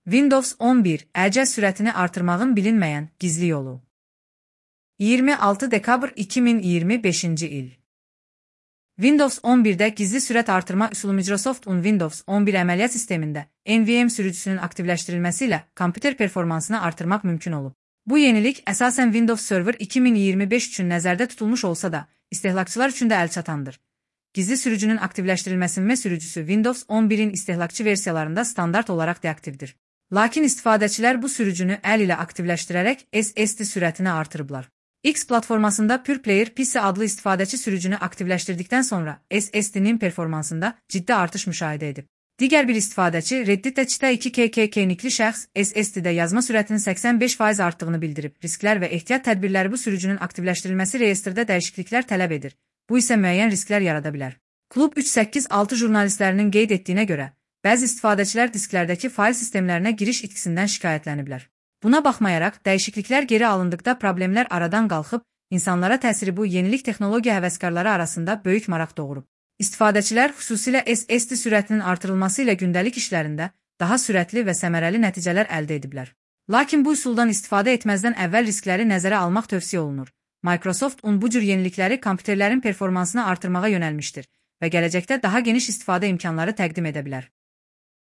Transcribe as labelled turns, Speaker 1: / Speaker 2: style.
Speaker 1: Windows 11 əcəl sürətini artırmağın bilinməyən gizli yolu. 26 dekabr 2025-ci il. Windows 11-də gizli sürət artırma üsulu Microsoft'un Windows 11 əməliyyat sistemində NVMe sürücüsünün aktivləşdirilməsi ilə kompüter performansını artırmaq mümkün olub. Bu yenilik əsasən Windows Server 2025 üçün nəzərdə tutulmuş olsa da, istehlakçılar üçün də əlçatandır. Gizli sürücünün aktivləşdirilməsinin sürücüsü Windows 11-in istehlakçı versiyalarında standart olaraq deaktivdir. Lakin istifadəçilər bu sürücünü əl ilə aktivləşdirərək SSD sürətini artırıblar. X platformasında PurePlayer PC adlı istifadəçi sürücünü aktivləşdirdikdən sonra SSD-nin performansında ciddi artış müşahidə edib. Digər bir istifadəçi Redditdə Çita 2KK nikli şəxs SSD-də yazma sürətinin 85% artdığını bildirib. Risklər və ehtiyat tədbirləri bu sürücünün aktivləşdirilməsi reyestrdə dəyişikliklər tələb edir. Bu isə müəyyən risklər yarada bilər. Klub 386 jurnalistlərinin qeyd etdiyinə görə, bəzi istifadəçilər disklərdəki fail sistemlərinə giriş itkisindən şikayətləniblər. Buna baxmayaraq, dəyişikliklər geri alındıqda problemlər aradan qalxıb, insanlara təsiri bu yenilik texnologiya həvəskarları arasında böyük maraq doğurub. İstifadəçilər xüsusilə SSD sürətinin artırılması ilə gündəlik işlərində daha sürətli və səmərəli nəticələr əldə ediblər. Lakin bu üsuldan istifadə etməzdən əvvəl riskləri nəzərə almaq tövsiyə olunur. Microsoft bu cür yenilikləri kompüterlərin performansını artırmağa yönəlmişdir və gələcəkdə daha geniş istifadə imkanları təqdim edə bilər.